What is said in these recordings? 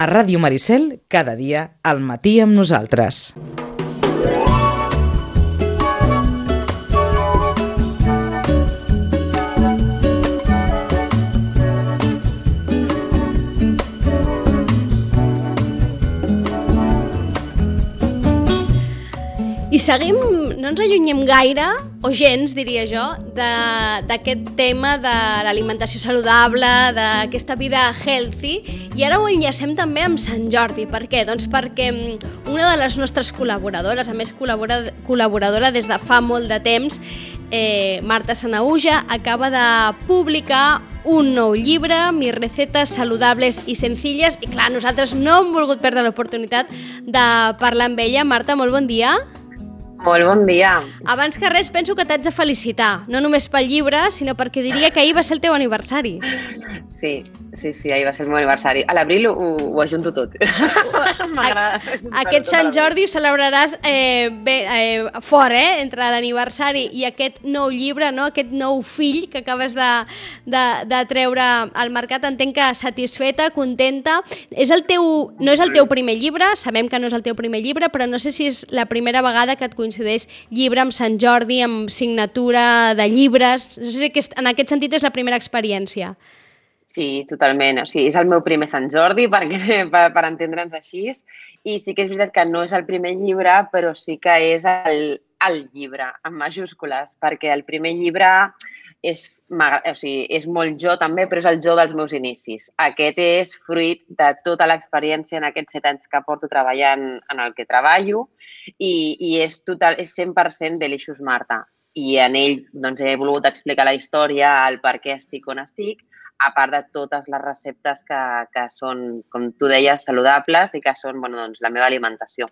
A Ràdio Maricel, cada dia, al matí amb nosaltres. I seguim, no ens allunyem gaire, o gens, diria jo, d'aquest tema de l'alimentació saludable, d'aquesta vida healthy, i ara ho enllacem també amb Sant Jordi. Per què? Doncs perquè una de les nostres col·laboradores, a més col·laboradora des de fa molt de temps, Marta Sanahuja, acaba de publicar un nou llibre, Mis recetes saludables i sencilles, i clar, nosaltres no hem volgut perdre l'oportunitat de parlar amb ella. Marta, molt bon dia. Molt bon dia. Abans que res, penso que t'haig de felicitar, no només pel llibre, sinó perquè diria que ahir va ser el teu aniversari. Sí, ahir va ser el meu aniversari. A l'abril ho ajunto tot. M'agrada. Aquest Sant Jordi ho celebraràs fort, entre l'aniversari i aquest nou llibre, no? Aquest nou fill que acabes de treure al mercat. Entenc que satisfeta, contenta. No és el teu primer llibre, sabem que no és el teu primer llibre, però no sé si és la primera vegada que et coincideix llibre amb Sant Jordi, amb signatura de llibres. No sé si en aquest sentit és la primera experiència. Sí, totalment. O sigui, és el meu primer Sant Jordi, per entendre'ns així. I sí que és veritat que no és el primer llibre, però sí que és el llibre, en majúscules, perquè el primer llibre és molt jo també, però és el jo dels meus inicis. Aquest és fruit de tota l'experiència en aquests 7 anys que porto treballant en el que treballo i és 100% Delicious Marta. I en ell doncs, he volgut explicar la història, el per què estic on estic, a part de totes les receptes que són, com tu deies, saludables i que són la meva alimentació.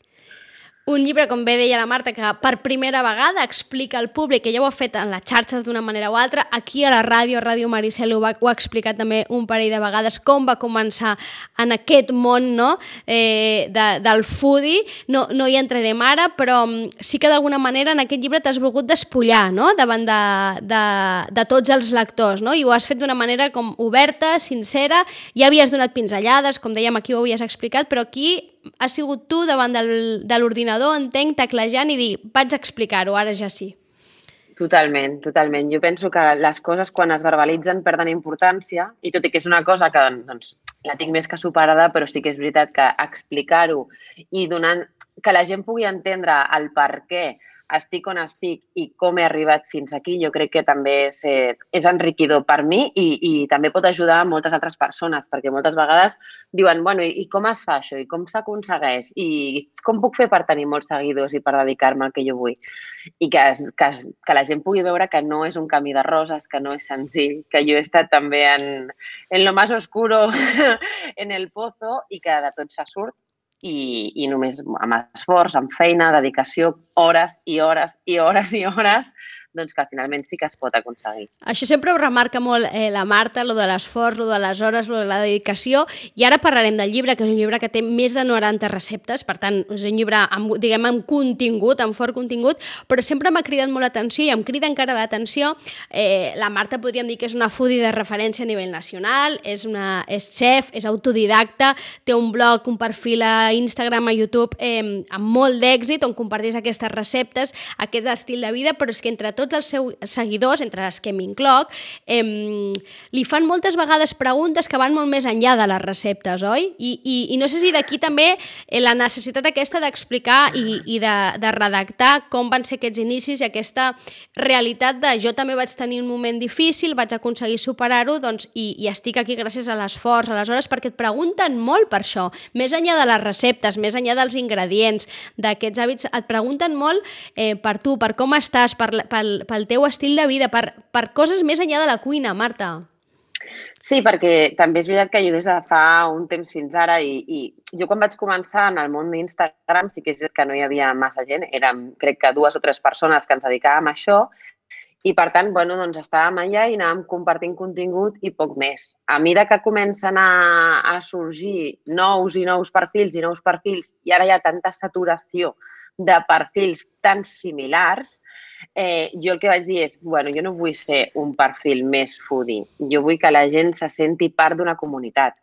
Un llibre, com bé deia la Marta, que per primera vegada explica al públic, que ja ho ha fet en les xarxes d'una manera o altra, aquí a la ràdio, a Ràdio Maricel, ho ha explicat també un parell de vegades, com va començar en aquest món, no? Del foodie. No hi entrarem ara, però sí que d'alguna manera en aquest llibre t'has volgut despullar, no? Davant de tots els lectors, no? I ho has fet d'una manera com oberta, sincera. Ja havies donat pinzellades, com dèiem, aquí ho havies explicat, però aquí has sigut tu davant de l'ordinador, entenc, teclejant i dir, vaig explicar-ho, ara ja sí. Totalment. Jo penso que les coses quan es verbalitzen perden importància i tot i que és una cosa que la tinc més que superada, però sí que és veritat que explicar-ho i donant que la gent pugui entendre el per què estic on estic i com he arribat fins aquí, jo crec que també és enriquidor per mi i també pot ajudar a moltes altres persones, perquè moltes vegades diuen, bueno, i com es fa això? I com s'aconsegueix? I com puc fer per tenir molts seguidors i per dedicar-me al que jo vull? I que la gent pugui veure que no és un camí de roses, que no és senzill, que jo he estat també en lo más oscuro, en el pozo, i que de tot se surt. I només amb esforç, amb feina, dedicació, hores i hores i hores i hores, doncs que finalment sí que es pot aconseguir. Això sempre ho remarca molt la Marta, lo de l'esforç, lo de les hores, lo de la dedicació, i ara parlarem del llibre, que és un llibre que té més de 90 receptes, per tant, és un llibre amb contingut, amb fort contingut, però sempre m'ha cridat molt l'atenció i em crida encara l'atenció. La Marta podríem dir que és una foodie de referència a nivell nacional, és xef, és autodidacta, té un blog, un perfil a Instagram, a YouTube, amb molt d'èxit, on comparteix aquestes receptes, aquest estil de vida, però és que entre tots els seus seguidors, entre les que m'incloc, li fan moltes vegades preguntes que van molt més enllà de les receptes, oi? I no sé si d'aquí també la necessitat aquesta d'explicar i de redactar com van ser aquests inicis i aquesta realitat de jo també vaig tenir un moment difícil, vaig aconseguir superar-ho, doncs, i estic aquí gràcies a l'esforç, a les hores, perquè et pregunten molt per això, més enllà de les receptes, més enllà dels ingredients, d'aquests hàbits, et pregunten molt per tu, per com estàs, pel teu estil de vida, per coses més enllà de la cuina, Marta. Sí, perquè també és veritat que jo des de fa un temps fins ara i jo quan vaig començar en el món d'Instagram sí que és veritat que no hi havia massa gent, érem crec que 2 o 3 persones que ens dedicàvem a això i per tant, doncs estàvem allà i anàvem compartint contingut i poc més. A mesura que comencen a sorgir nous perfils i ara hi ha tanta saturació de perfils tan similars, jo el que vaig dir és, jo no vull ser un perfil més foodie, jo vull que la gent se senti part d'una comunitat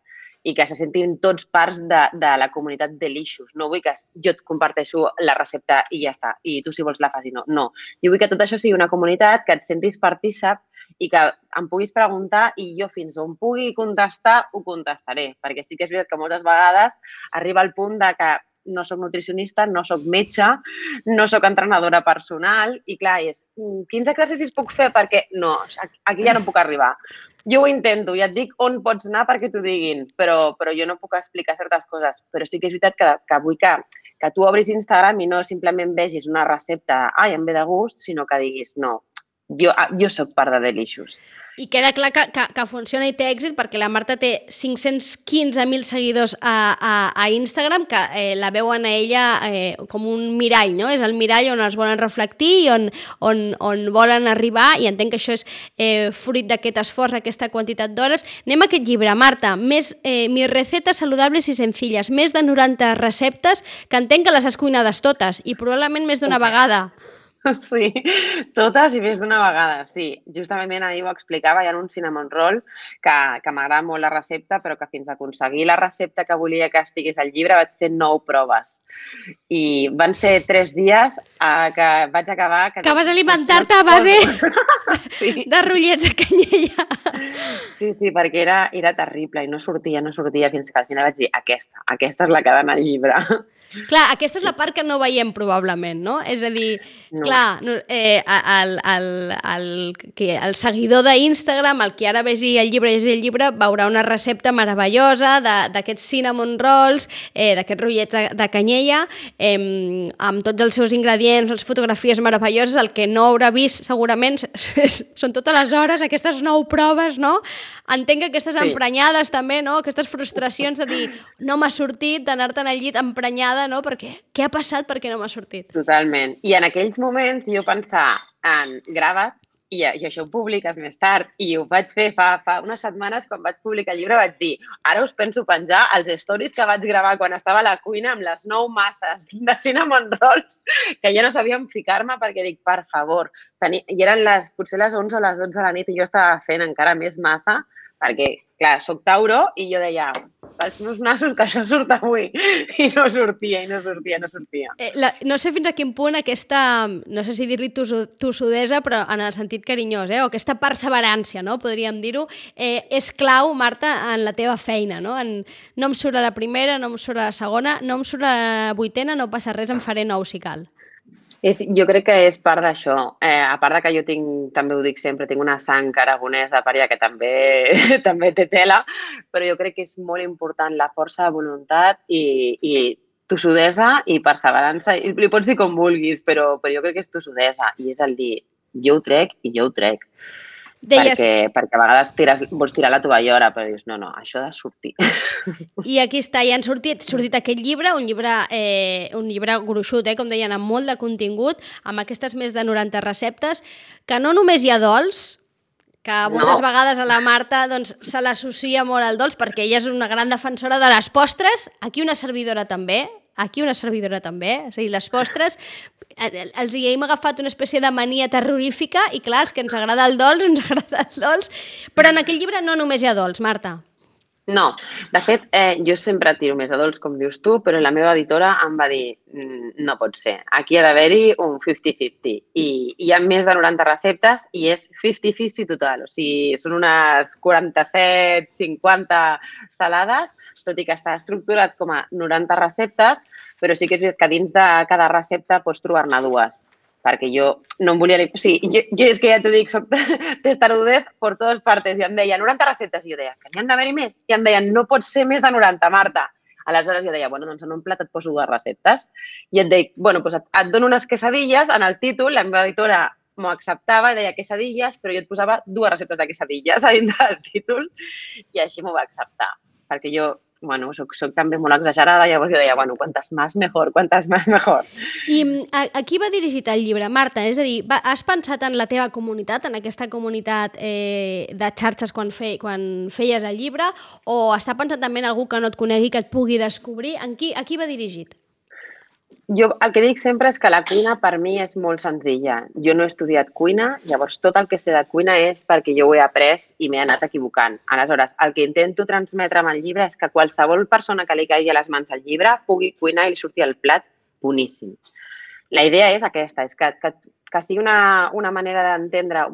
i que se sentin tots parts de la comunitat Delicious. No vull que jo et comparteixo la recepta i ja està, i tu si vols la facis, no. Jo vull que tot això sigui una comunitat, que et sentis partícip i que em puguis preguntar i jo fins on pugui contestar, ho contestaré. Perquè sí que és veritat que moltes vegades arriba el punt de que no soc nutricionista, no soc metge, no soc entrenadora personal i clar, quins exercicis puc fer? Perquè no, aquí ja no puc arribar. Jo ho intento, ja et dic on pots anar perquè t'ho diguin, però jo no puc explicar certes coses. Però sí que és veritat que vull que tu obris Instagram i no simplement vegis una recepta, em ve de gust, sinó que diguis, no, jo soc part de Delicious. I queda clar que funciona i té èxit perquè la Marta té 515.000 seguidors a Instagram que la veuen a ella com un mirall, no? És el mirall on es volen reflectir i on volen arribar i entenc que això és fruit d'aquest esforç, aquesta quantitat d'hores. Anem a aquest llibre, Marta, mis recetes saludables i sencilles, més de 90 receptes que entenc que les has cuinades totes i probablement més d'una vegada. Sí, totes i més d'una vegada, sí. Justament ahir ho explicava, hi ha un cinnamon roll que m'agrada molt la recepta, però que fins a aconseguir la recepta que volia que estigués al llibre vaig fer 9 proves. I van ser 3 dies que vaig acabar... Que vas alimentar-te a base de rotllets de canyella. Sí, perquè era terrible i no sortia, fins que al final vaig dir aquesta és la que ha d'anar al llibre. Clar, aquesta és la part que no veiem probablement, no? És a dir, clar, el seguidor d'Instagram, el que ara vegi el llibre, veurà una recepta meravellosa d'aquests cinnamon rolls, d'aquests rotllets de canyella, amb tots els seus ingredients, les fotografies meravelloses. El que no haurà vist segurament són totes les hores, aquestes 9 proves, no? Entenc que aquestes emprenyades també, no? Aquestes frustracions de dir no m'ha sortit, d'anar-te'n al llit emprenyada, no? Perquè què ha passat perquè no m'ha sortit? Totalment. I en aquells moments jo pensar en grava't i això ho publiques més tard. I ho vaig fer fa unes setmanes quan vaig publicar el llibre, vaig dir ara us penso penjar els stories que vaig gravar quan estava a la cuina amb les 9 masses de cinnamon rolls que ja no sabia on ficar-me perquè dic, per favor, i eren potser les 11 o les 12 de la nit i jo estava fent encara més massa perquè, clar, soc Tauro i jo deia, pels meus nassos que això surt avui. I no sortia. No sé fins a quin punt aquesta, no sé si dir-li tossudesa, però en el sentit carinyós, o aquesta perseverància, no? Podríem dir-ho, és clau, Marta, en la teva feina, no? No em surt a la primera, no em surt a la segona, no em surt a la 8ª, no passa res, em faré 9 si cal. Jo crec que és part d'això. A part que jo també ho dic sempre, tinc una sang aragonesa per allà que també té tela, però jo crec que és molt important la força de voluntat i tossudesa i perseverança. Li pots dir com vulguis, però jo crec que és tossudesa i és el dir jo ho trec i jo ho trec. Perquè a vegades vols tirar la tovallora, però dius, no, això ha de sortir. I aquí està, ja han sortit aquest llibre, un llibre gruixut, com deien, amb molt de contingut, amb aquestes més de 90 receptes, que no només hi ha dolç, que moltes vegades a la Marta se l'associa molt al dolç, perquè ella és una gran defensora de les postres, aquí una servidora també, és a dir, les postres, els hi hem agafat una espècie de mania terrorífica i clar, és que ens agrada el dolç, però en aquell llibre no només hi ha dolç, Marta. No, de fet, jo sempre tiro més a dolç, com dius tu, però la meva editora em va dir no pot ser, aquí ha d'haver-hi un 50-50 i hi ha més de 90 receptes i és 50-50 total, o sigui, són unes 47-50 salades, tot i que està estructurat com a 90 receptes, però sí que és veritat que dins de cada recepta pots trobar-ne 2. Perquè jo no em volia... O sigui, jo és que ja t'ho dic, soc testarudez per totes partes. I em deia 90 receptes. I jo deia, que n'hi han d'haver-hi més? I em deien, no pot ser més de 90, Marta. Aleshores jo deia, doncs en un plat et poso 2 receptes. I et dic, doncs et dono unes quesadilles en el títol, la meva editora m'ho acceptava i deia quesadilles, però jo et posava 2 receptes de quesadilles a dins del títol i així m'ho va acceptar. Perquè jo... soc també molt exagerada, llavors jo deia, quantes més mejor. I a qui va dirigit el llibre, Marta? És a dir, has pensat en la teva comunitat, en aquesta comunitat de xarxes quan feies el llibre, o està pensat també en algú que no et conegui, que et pugui descobrir? A qui va dirigit? Jo el que dic sempre és que la cuina per mi és molt senzilla. Jo no he estudiat cuina, llavors tot el que sé de cuina és perquè jo ho he après i m'he anat equivocant. Aleshores, el que intento transmetre amb el llibre és que qualsevol persona que li caigui a les mans el llibre pugui cuinar i li surti el plat boníssim. La idea és aquesta, és que sigui una manera d'entendre,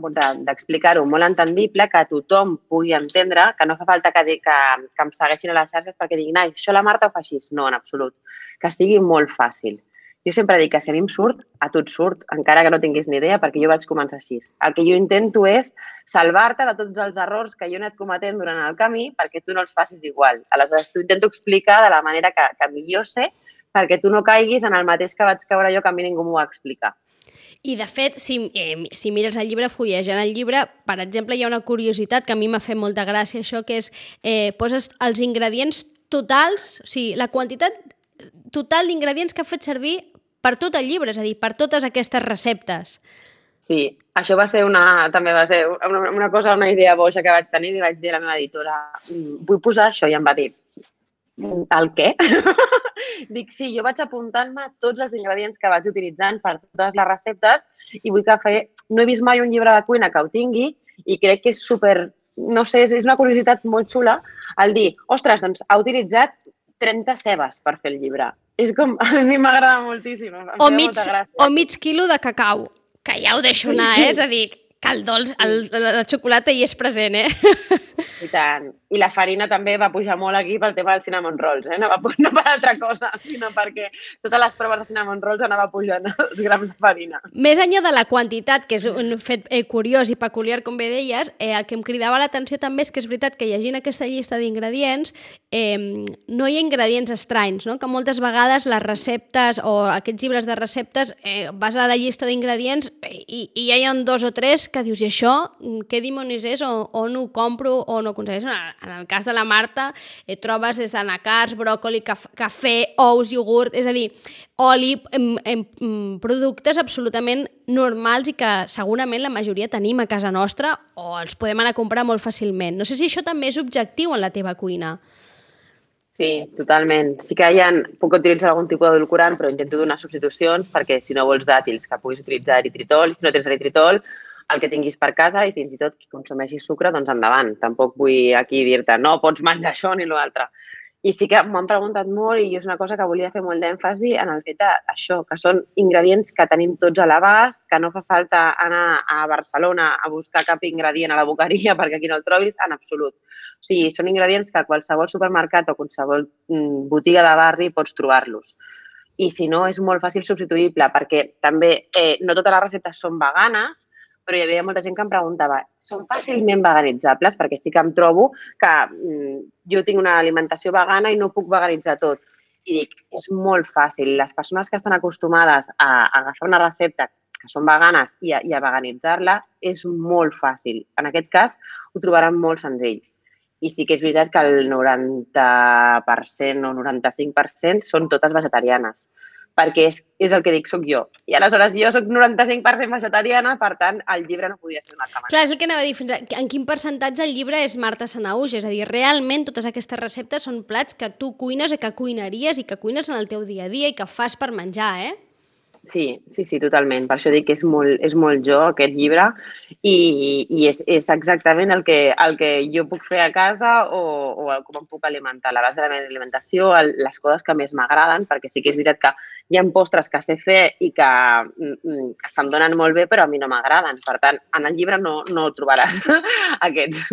d'explicar-ho molt entendible, que tothom pugui entendre, que no fa falta que em segueixin a les xarxes perquè diguin, ai, això la Marta ho fa així. No, en absolut. Que sigui molt fàcil. Jo sempre dic que si a mi em surt, a tu et surt, encara que no tinguis ni idea, perquè jo vaig començar així. El que jo intento és salvar-te de tots els errors que jo he anat cometent durant el camí perquè tu no els facis igual. Aleshores, t'ho intento explicar de la manera que millor sé perquè tu no caiguis en el mateix que vaig caure jo, que a mi ningú m'ho va explicar. I, de fet, si mires el llibre, fullejant el llibre, per exemple, hi ha una curiositat que a mi m'ha fet molta gràcia, això, que és poses els ingredients totals, o sigui, la quantitat total d'ingredients que ha fet servir per tot el llibre, és a dir, per totes aquestes receptes. Sí, això també va ser una cosa, una idea boja que vaig tenir i vaig dir a la meva editora, vull posar això, i em va dir, el què? Dic, sí, jo vaig apuntant-me tots els ingredients que vaig utilitzant per totes les receptes i vull que no he vist mai un llibre de cuina que ho tingui i crec que és super, no sé, és una curiositat molt xula el dir, ostres, doncs ha utilitzat 30 cebes per fer el llibre. És com, a mi m'agrada moltíssim. O mig quilo de cacau, que ja ho deixo anar, és a dir, que el dolç, la xocolata hi és present, I tant. I la farina també va pujar molt aquí pel tema dels cinnamon rolls, no per altra cosa, sinó perquè totes les proves de cinnamon rolls anava pujant els grams de farina. Més enllà de la quantitat, que és un fet curiós i peculiar, com bé deies, el que em cridava l'atenció també és que és veritat que llegint aquesta llista d'ingredients no hi ha ingredients estranys, no? Que moltes vegades les receptes o aquests llibres de receptes vas a la llista d'ingredients i ja hi ha 2 o 3 que dius, i això què dimonis és o no ho compro o no ho aconsegueixo. En el cas de la Marta trobes des d'anacards, bròcoli, cafè, ous, iogurt, és a dir, oli, productes absolutament normals i que segurament la majoria tenim a casa nostra o els podem anar a comprar molt fàcilment. No sé si això també és objectiu en la teva cuina. Sí, totalment. Sí que puc utilitzar algun tipus d'edulcorant, però intento donar substitucions perquè si no vols dàtils que puguis utilitzar eritritol, si no tens eritritol, el que tinguis per casa i fins i tot qui consumeixi sucre, doncs endavant. Tampoc vull aquí dir-te no pots menjar això ni l'altre. I sí que m'han preguntat molt i és una cosa que volia fer molt d'èmfasi en el fet d'això, que són ingredients que tenim tots a l'abast, que no fa falta anar a Barcelona a buscar cap ingredient a la boqueria perquè aquí no el trobis, en absolut. O sigui, són ingredients que a qualsevol supermercat o qualsevol botiga de barri pots trobar-los. I si no, és molt fàcil substituïble perquè també no totes les receptes són veganes, però hi havia molta gent que em preguntava, són fàcilment veganitzables? Perquè sí que em trobo que jo tinc una alimentació vegana i no puc veganitzar tot. I dic, és molt fàcil. Les persones que estan acostumades a agafar una recepta que són veganes i a veganitzar-la és molt fàcil. En aquest cas, ho trobaran molt senzill. I sí que és veritat que el 90% o 95% són totes vegetarianes. Perquè és el que dic, soc jo. I aleshores jo soc 95% vegetariana, per tant, el llibre no podia ser una altra manera. Clar, és el que anava a dir, en quin percentatge el llibre és Marta Sanahuja? És a dir, realment totes aquestes receptes són plats que tu cuines i que cuinaries i que cuines en el teu dia a dia i que fas per menjar, Sí, totalment. Per això dic que és molt jo, aquest llibre, i és exactament el que jo puc fer a casa o com em puc alimentar. A la base de la meva alimentació, les coses que més m'agraden, perquè sí que és veritat que hi ha postres que sé fer i que se'm donen molt bé, però a mi no m'agraden. Per tant, en el llibre no trobaràs aquests.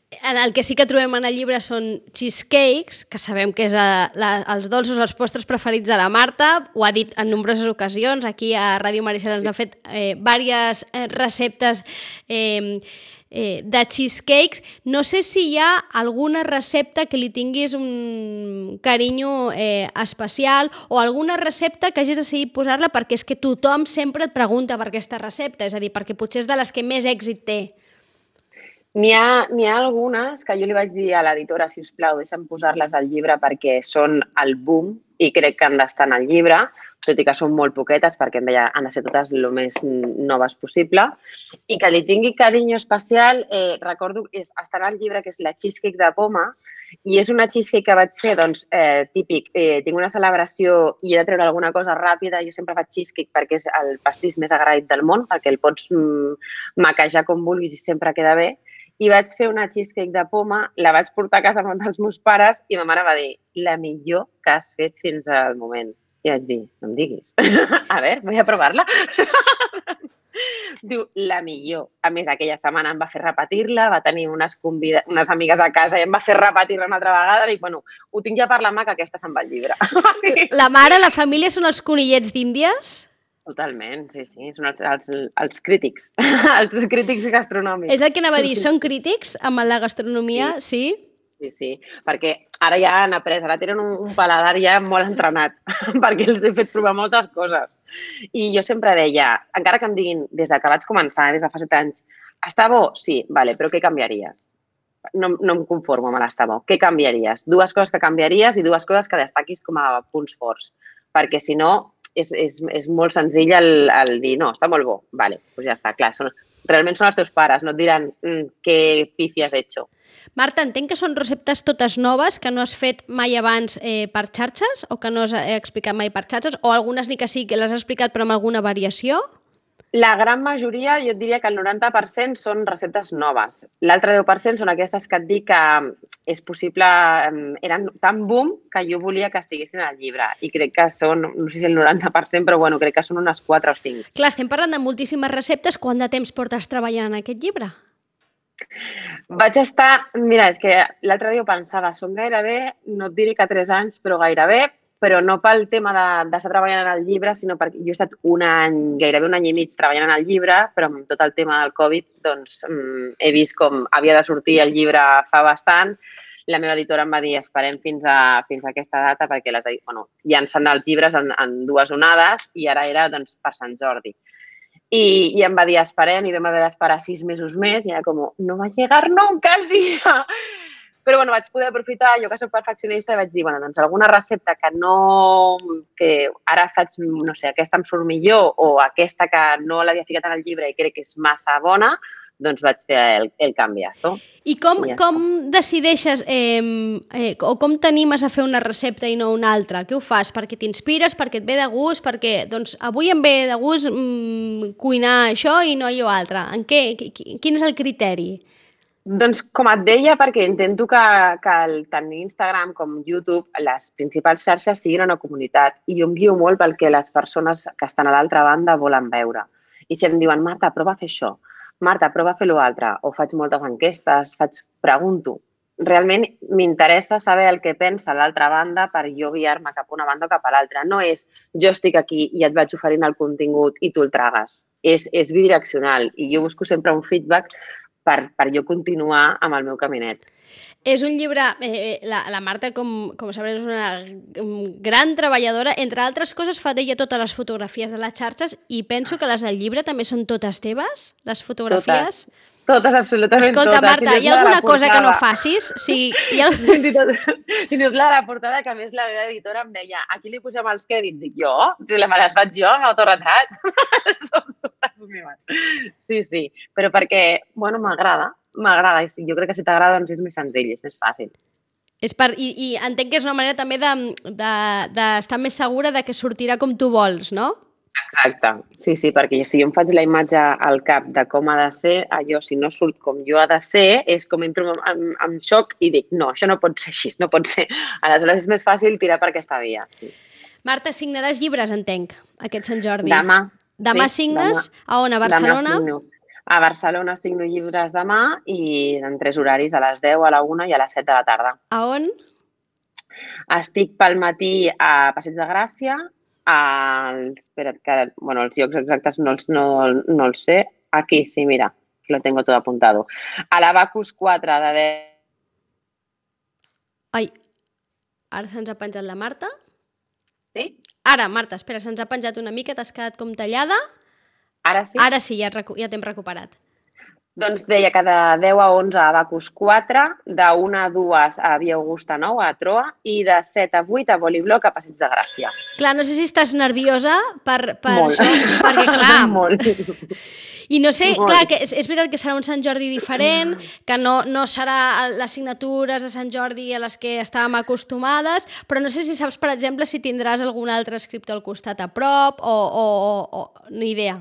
El que sí que trobem en el llibre són cheesecakes, que sabem que és els dolços, els postres preferits de la Marta, ho ha dit en nombroses ocasions, aquí a Ràdio Maricel ens ha fet diverses receptes de cheesecakes. No sé si hi ha alguna recepta que li tinguis un carinyo especial o alguna recepta que hagis decidit posar-la perquè és que tothom sempre et pregunta per aquesta recepta, és a dir, perquè potser és de les que més èxit té. N'hi ha algunes que jo li vaig dir a l'editora, sisplau, deixa'm posar-les al llibre perquè són el boom i crec que han d'estar en el llibre, tot i que són molt poquetes perquè em deia han de ser totes el més noves possible. I que li tingui carinyo especial, recordo, està en el llibre que és la cheesecake de poma I és una cheesecake que vaig fer, doncs, típic, tinc una celebració i he de treure alguna cosa ràpida, jo sempre faig cheesecake perquè és el pastís més agraït del món, perquè el pots maquejar com vulguis i sempre queda bé. I vaig fer una cheesecake de poma, la vaig portar a casa amb els meus pares i ma mare va dir, la millor que has fet fins al moment. I vaig dir, no em diguis. A veure, vull a provar-la. Diu, la millor. A més, aquella setmana em va fer repetir-la, va tenir unes amigues a casa i em va fer repetir-la una altra vegada. Dic, bueno, ho tinc ja per la mà, que aquesta se'n va al llibre. La mare, la família són els conillets d'Índies? Totalment, sí, són els crítics, els crítics gastronòmics. És el que anava a dir, són crítics amb la gastronomia, sí? Sí, perquè ara ja han après, ara tenen un paladar ja molt entrenat, perquè els he fet provar moltes coses. I jo sempre deia, encara que em diguin des que vaig començar, des de fa 7 anys, està bo? Sí, vale, però què canviaries? No em conformo amb l'estar bo. Què canviaries? 2 coses que canviaries i 2 coses que destaquis com a punts forts, perquè si no és molt senzill el dir, no, està molt bo, vale, doncs ja està, clar, realment són els teus pares, no et diran què pifi has hecho. Marta, entenc que són receptes totes noves que no has fet mai abans per xarxes o que no has explicat mai per xarxes o algunes ni que sí que les has explicat però amb alguna variació? La gran majoria, jo et diria que el 90% són receptes noves. L'altre 10% són aquestes que et dic que és possible, eren tan boom que jo volia que estiguessin al llibre i crec que són, no sé si el 90%, però bueno, crec que són unes 4 o 5. Clar, estem parlant de moltíssimes receptes. Quant de temps portes treballant en aquest llibre? Vaig estar, mira, és que l'altre dia ho pensava, són gairebé, no et diré que 3 anys, però gairebé, però no pel tema d'estar treballant en el llibre, sinó perquè jo he estat gairebé un any i mig treballant en el llibre, però amb tot el tema del Covid, doncs he vist com havia de sortir el llibre fa bastant. La meva editora em va dir, esperem fins a aquesta data, perquè llancen els llibres en 2 onades i ara era doncs, per Sant Jordi. I em va dir, esperem, i vam haver d'esperar 6 mesos més, i era com, no va llegar nunca el dia. Però bueno, vaig poder aprofitar, jo que soc perfeccionista, i vaig dir, bueno, doncs alguna recepta que ara faig, no sé, aquesta em surt millor, o aquesta que no l'havia ficat en el llibre i crec que és massa bona, doncs vaig fer el canviazo. I com decideixes o com t'animes a fer una recepta i no una altra? Què ho fas? Perquè t'inspires, perquè et ve de gust, perquè doncs, avui em ve de gust cuinar això i no allò altre. Quin és el criteri? Doncs com et deia, perquè intento que tant Instagram com YouTube, les principals xarxes, siguin una comunitat. I jo em guio molt pel que les persones que estan a l'altra banda volen veure. I si em diuen, Marta, prova a fer això. Marta, prova a fer l'altre, o faig moltes enquestes, pregunto. Realment m'interessa saber el que pensa l'altra banda per jo guiar-me cap a una banda o cap a l'altra. No és jo estic aquí i et vaig oferint el contingut i tu el tragues. És bidireccional i jo busco sempre un feedback per jo continuar amb el meu caminet. És un llibre, la Marta, com sabreu, és una gran treballadora. Entre altres coses, fa d'ella totes les fotografies de les xarxes i penso que les del llibre també són totes teves, les fotografies. Totes, absolutament totes. Escolta, Marta, hi ha alguna cosa que no facis? Sí, Fins i tot la portada, que a més la meva editora em deia, aquí li posem els crèdits. Dic, jo? Si me les faig jo, amb autoretrat. Són totes meves. Sí, però perquè, bueno, m'agrada. Jo crec que si t'agrada doncs és més senzill, és més fàcil. I entenc que és una manera també d'estar més segura de que sortirà com tu vols, no? Exacte, sí, perquè si jo em faig la imatge al cap de com ha de ser, allò, si no surt com jo ha de ser, és com entro en xoc i dic, no, això no pot ser així, no pot ser. Aleshores és més fàcil tirar per aquesta via. Sí. Marta, signaràs llibres, entenc, aquest Sant Jordi. Demà signes? A on? A Barcelona? Demà signo. A Barcelona signo llibres demà i en 3 horaris, a les 10, a la 1 i a les 7 de la tarda. A on? Estic pel matí a Passeig de Gràcia, espera't que, els llocs exactes no els sé. Aquí, sí, mira, lo tengo todo apuntado. A la Bacus 4 de 10. Ai, ara se'ns ha penjat la Marta. Sí? Ara, Marta, espera, se'ns ha penjat una mica, t'has quedat com tallada. Ara sí? Ara sí, ja t'hem recuperat. Doncs deia que de 10 a 11 a Bacus 4, de 1 a 2 a Via Augusta 9 a Troa i de 7 a 8 a Bolibloc a Passeig de Gràcia. Clar, no sé si estàs nerviosa per molt. això, perquè clar... Molt. I no sé, Molt. clar, que és veritat que serà un Sant Jordi diferent, que no serà les signatures de Sant Jordi a les que estàvem acostumades, però no sé si saps, per exemple, si tindràs algun altre escriptor al costat a prop o ni idea.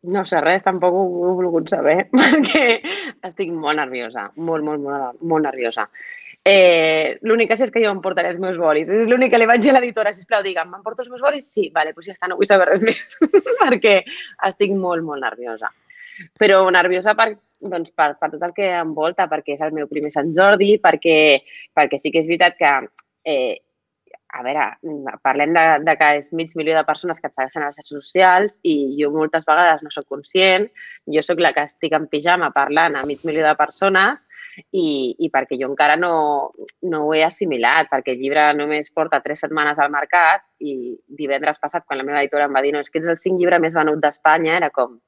No sé res, tampoc ho he volgut saber, perquè estic molt nerviosa, molt nerviosa. L'únic que sé és que jo em portaré els meus bolis. És l'únic que li vaig dir a l'editora, sisplau, digue'm, m'emporto els meus bolis? Sí, vale, doncs ja està, no vull saber res més, perquè estic molt nerviosa. Però nerviosa per tot el que em volta, perquè és el meu primer Sant Jordi, perquè sí que és veritat que a veure, parlem de que és mig milió de persones que et segueixen a les xarxes socials i jo moltes vegades no soc conscient, jo sóc la que estic en pijama parlant a mig milió de persones i perquè jo encara no ho he assimilat, perquè el llibre només porta 3 setmanes al mercat i divendres passat, quan la meva editora em va dir no, és que ets el 5 llibre més venut d'Espanya, era com,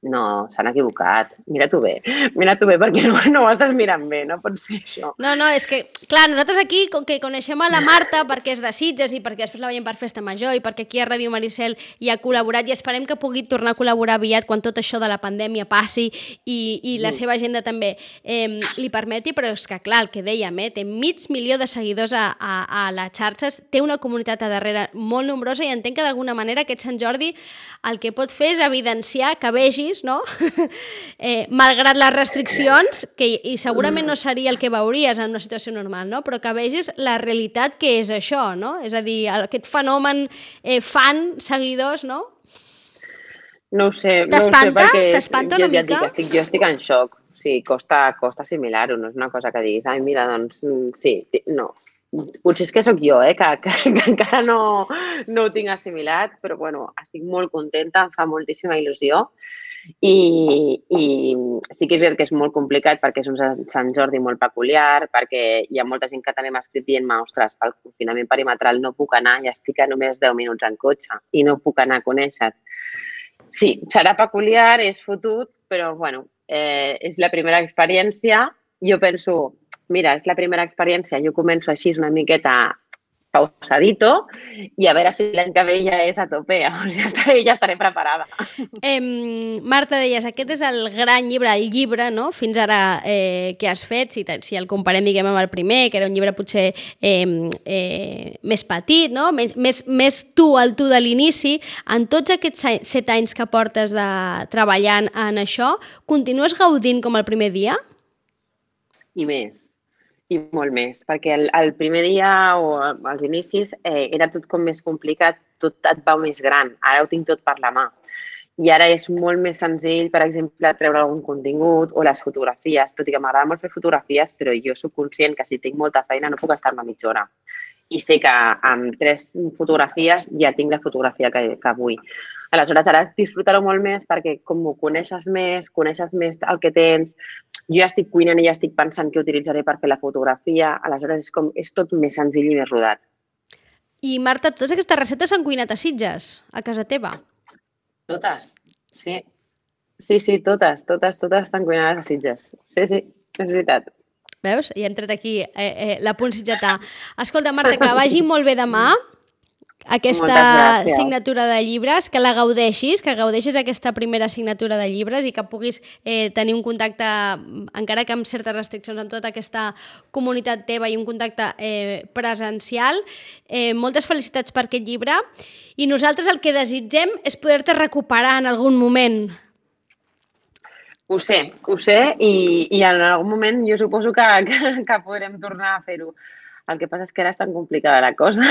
no, s'han equivocat, mira-t'ho bé, perquè no ho estàs mirant bé, no pot ser això. No, és que, clar, nosaltres aquí, com que coneixem a la Marta perquè és de Sitges i perquè després la veiem per Festa Major i perquè aquí a Ràdio Maricel hi ha col·laborat i esperem que pugui tornar a col·laborar aviat quan tot això de la pandèmia passi i la seva agenda també li permeti, però és que, clar, el que dèiem, té mig milió de seguidors a les xarxes, té una comunitat a darrere molt nombrosa i entenc que d'alguna manera aquest Sant Jordi el que pot fer és evidenciar que vegis, no? Malgrat les restriccions, i segurament no seria el que veuries en una situació normal, no? Però que vegis la realitat que és això, no? És a dir, aquest fenomen fan, seguidors, no? No ho sé, T'espanta? T'espanta una mica? Jo estic en xoc. Sí, costa assimilar-ho, no és una cosa que diguis, ai, mira, doncs, sí, no. Potser és que sóc jo, que encara no ho tinc assimilat, però bueno, estic molt contenta, em fa moltíssima il·lusió i sí que és veritat que és molt complicat perquè és un Sant Jordi molt peculiar, perquè hi ha molta gent que també m'ha escrit dient-me, ostres, pel confinament perimetral no puc anar, ja estic a només 10 minuts en cotxe i no puc anar a conèixer. Sí, serà peculiar, és fotut, però bueno, és la primera experiència. Jo penso, mira, és la primera experiència, jo començo així una miqueta pausadito i a veure si l'any que ve ja és a tope, ja estaré preparada. Marta, deies, aquest és el gran llibre, el llibre, no?, fins ara que has fet, si el comparem, diguem, amb el primer, que era un llibre potser més petit, no?, més tu, el tu de l'inici. En tots aquests 7 anys que portes treballant en això, continues gaudint com el primer dia? I més. I molt més, perquè el primer dia o als inicis era tot com més complicat, tot et va més gran, ara ho tinc tot per la mà. I ara és molt més senzill, per exemple, treure algun contingut o les fotografies, tot i que m'agrada molt fer fotografies, però jo soc conscient que si tinc molta feina no puc estar-me mitja hora. I sé que amb 3 fotografies ja tinc la fotografia que vull. Aleshores, ara disfrutar-ho molt més perquè com ho coneixes més el que tens. Jo ja estic cuinant i ja estic pensant què utilitzaré per fer la fotografia. Aleshores, és tot més senzill i més rodat. I, Marta, totes aquestes receptes s'han cuinat a Sitges, a casa teva? Totes, sí. Sí, totes estan cuinades a Sitges. Sí, és veritat. Veus? Ja hem tret aquí la punt sitgetà. Escolta, Marta, que vagi molt bé demà aquesta signatura de llibres, que la gaudeixis, aquesta primera signatura de llibres i que puguis tenir un contacte, encara que amb certes restriccions, amb tota aquesta comunitat teva i un contacte presencial. Moltes felicitats per aquest llibre i nosaltres el que desitgem és poder-te recuperar en algun moment. Ho sé i en algun moment jo suposo que podrem tornar a fer-ho. El que passa és que ara és tan complicada la cosa,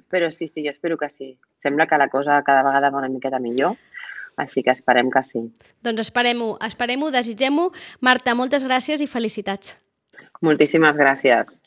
però sí, jo espero que sí. Sembla que la cosa cada vegada va una miqueta millor, així que esperem que sí. Doncs esperem-ho, desitgem-ho. Marta, moltes gràcies i felicitats. Moltíssimes gràcies.